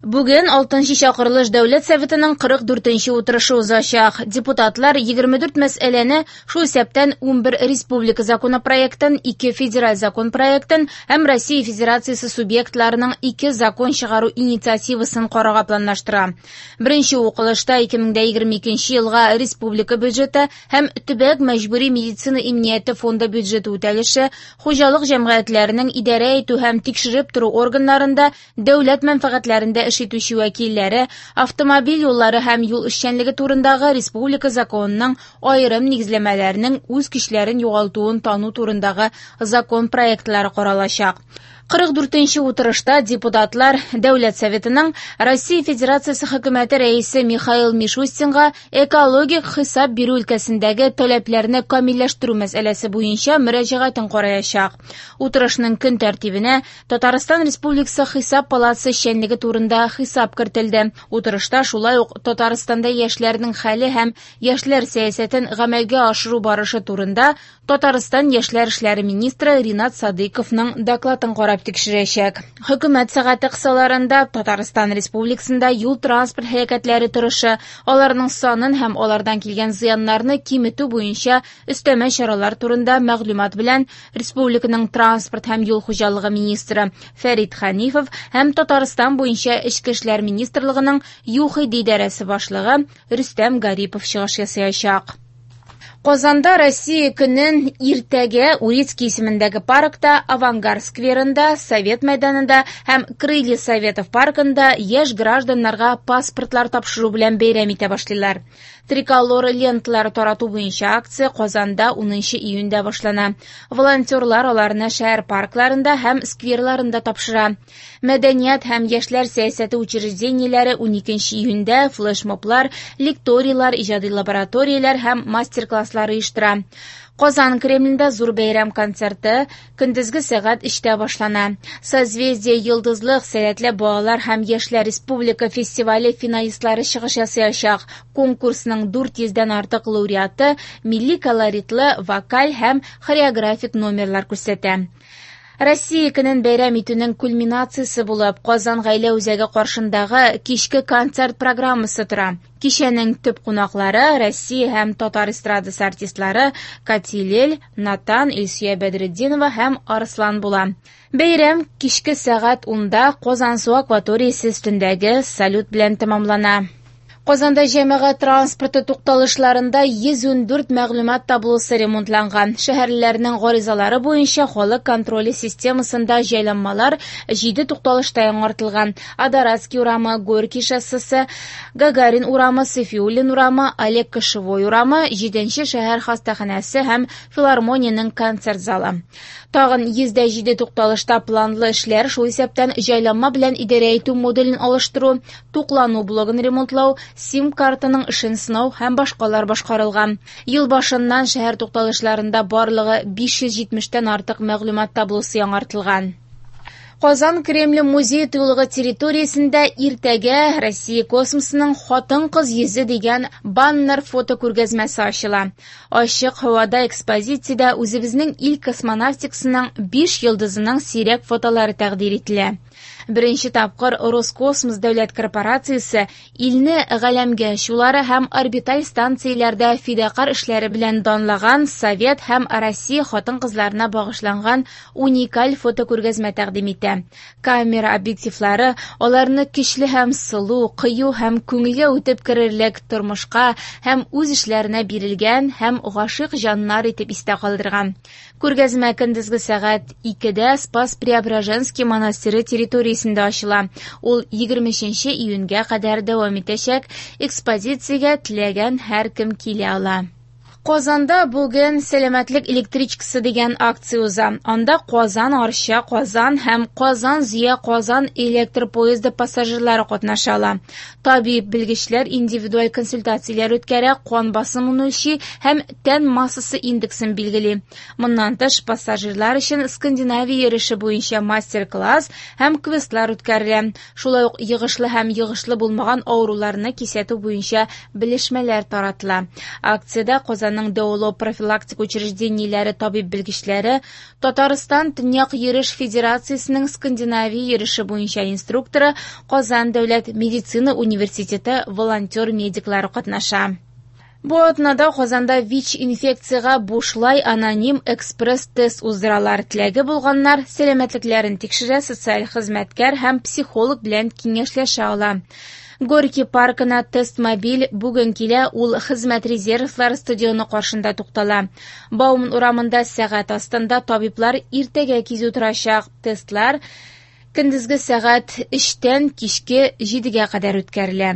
Бүген 6нчы чакырылыш Дәүләт Советының 44нче утырышы узачак. Депутатлар 24 мәсьәләне, шул исәптән 11 республика законопроектын, 2 федераль закон проектын һәм Россия Федерациясе субъектларының 2 закон чыгару инициативасын карарга планлаштыра. Беренче укылышта 2022 елга республика бюджеты һәм төбәк мәҗбүри медицина иминияте фонды бюджеты үтәлеше, хуҗалык җәмгыятьләренең идарә итү һәм тикшереп тору органнарында дәүләт мәнфәгатьләрендә эш итүче вәкилләре, автомобиль юллары һәм юл эшчәнлеге турындагы республика законының аерым нигезләмәләренең үз көчләрен югалтуын тану турындагы закон проектлары каралачак. 44нче утырышта депутатлар Дәүләт Советының Россия Федерациясе Хөкүмәте Рәисе Михаил Мишустинга экологик хисап бирү өлкәсендәге таләпләрне камилләштерү мәсьәләсе буенча мөрәҗәгатен караячак. Утырышның көн тәртибенә Татарстан Республикасы Хисап палатасы эшчәнлеге турында хисап кертелде. Утырышта шулай ук Татарстанда яшьләрнең хәле һәм яшьләр сәясәтен гамәлгә ашыру барышы турында Татарстан яшьләр эшләре министры Ринат Садыйковның докладын карап тикшерәчәк. Хөкүмәт сәгате кысаларында Татарстан Республикасында юл-транспорт һәлакәтләре торышы, аларның санын һәм алардан килгән зыяннарны киметү буенча өстәмә чаралар турында мәгълүмат белән республиканың транспорт һәм юл хуҗалыгы министры Фәрит Хәнифов һәм Татарстан буенча Эчке эшләр министрлыгының ЮХИДИ идарәсе башлыгы Рөстәм Гарипов чыгыш ясаячак. Казанда Россия көнен иртәгә Урицкий исемендәге паркта, Авангард скверында, Совет мәйданында һәм Крылья Советов паркында яшь гражданнарга паспортлар тапшыру белән бәйрәм итә башлыйлар. Триколор ленталары тарату буенча акция Казанда 10 июньдә башлана. Волонтерлар аларны шәһәр паркларында һәм скверларында тапшыра. Мәдәният һәм яшьләр сәясәте учреждениеләре 12 июньдә флешмоблар, лекторийлар, иҗади лабораторияләр һәм мастер-класслар оештыра. Казан Кремлендә зур бәйрәм концерты көндезге сәгать 3тә башлана. Созвездие Йолдызлык сәләтле балалар һәм яшьләр республика фестивале финалистлары чыгыш ясаячак. Конкурсның 400дән артык лауреаты милли колоритлы вокаль һәм хореографик номерлар күрсәтә. Россия көнен бәйрәм итүнең кульминациясе булып Казан гаилә үзәге каршындагы кичке концерт программасы тора. Кичәнең төп кунаклары Россия һәм татар эстрадасы артистлары Катилель, Натан, Илсөя Бәдретдинова һәм Арслан була. Бәйрәм кичке сәгать 10да Казансу акваториясе өстендәге салют белән тәмамлана. Казанда җәмәгать транспорты тукталышларында 114 мәгълүмат таблосы ремонтланган. Шәһәрлеләрнең гаризалары буенча халык контроле системасында җайланмалар 7 тукталышта яңартылган. Адоратский урамы, Горький шоссесы, Гагарин урамы, Сафиуллин урамы, Олег Кошевой урамы, 7 шәһәр хастаханәсе һәм филармониянең концерт залы. Тагын 107 тукталышта планлы эшләр, шул исәптән җайланма белән идарә итү модулен алыштыру, туклану блогын ремонтлау, сим-картаның эшен сынау һәм башкалар башкарылган. Ел башыннан шәһәр тукталышларында барлыгы 570тән артык мәгълүмат таблосы яңартылган. Казан Кремле музей тыюлыгы территориясендә иртәгә Россия космосының хатын-кыз йөзе дигән баннер фото күргәзмәсе ачыла. Ачык һавада экспозициядә үзебезнең ил космонавтикасының 5 йолдызының сирәк фотолары тәкъдир ителә. Беренче тапкыр Роскосмос дәүләт корпорациясе илне галәмгә очулары һәм орбиталь станцияләрдә фидакарь эшләре белән данлаган Совет һәм Россия хатын-кызларына багышланган уникаль фотокүргәзмә тәкъдим итә. Камера объективлары аларны көчле һәм сылу, кыю һәм күңелгә үтеп керерлек тормышка һәм үз эшләренә бирелгән һәм гашыйк җаннар итеп истә калдырган. Күргәзмә көндезге сәгать 2дә Спас-Преображенский монастыре территориясендә ачыла. Ул 23 июньгә кадәр дәвам итәчәк. Экспозициягә теләгән һәркем килә ала. Казанда бүген сәламәтлек электричкасы дигән акция уза. Анда Казан, Арча, Казан һәм Казан, Зөя, Казан электр поезды пассажирлары катнаша ала. Табиб белгечләр индивидуаль консультацияләр үткәрә, кан басымын үлчи һәм тән массасы индексын билгели. Моннан тыш, пассажирлар өчен Скандинавия йөреше буенча мастер-класс һәм квестлар үткәрелә. Шулай ук йогышлы һәм йогышлы булмаган авыруларны кисәтү буенча белешмәләр таратыла. Акциядә Казанның Казанның дәвалау профилактика учреждениеләре табиб-белгечләре, Татарстан Төньяк йөреш федерациясенең скандинавия йөреше буенча инструкторы, Казан дәүләт медицина университеты волонтер-медиклары катнаша. Бу атнада Казанда ВИЧ-инфекциягә бушлай аноним экспресс-тест уздыралар. Теләге булганнар сәламәтлекләрен тикшерә, социаль хезмәткәр һәм психолог белән киңәшләшә ала. Горький паркына тест-мобиль бүген килә, ул Хезмәт резервлары стадионы каршында туктала. Бауман урамында сәгать астында табиблар иртәгә кизү торачак. Тестлар көндезге сәгать 3-тән кичке 7-гә кадәр үткәрелә.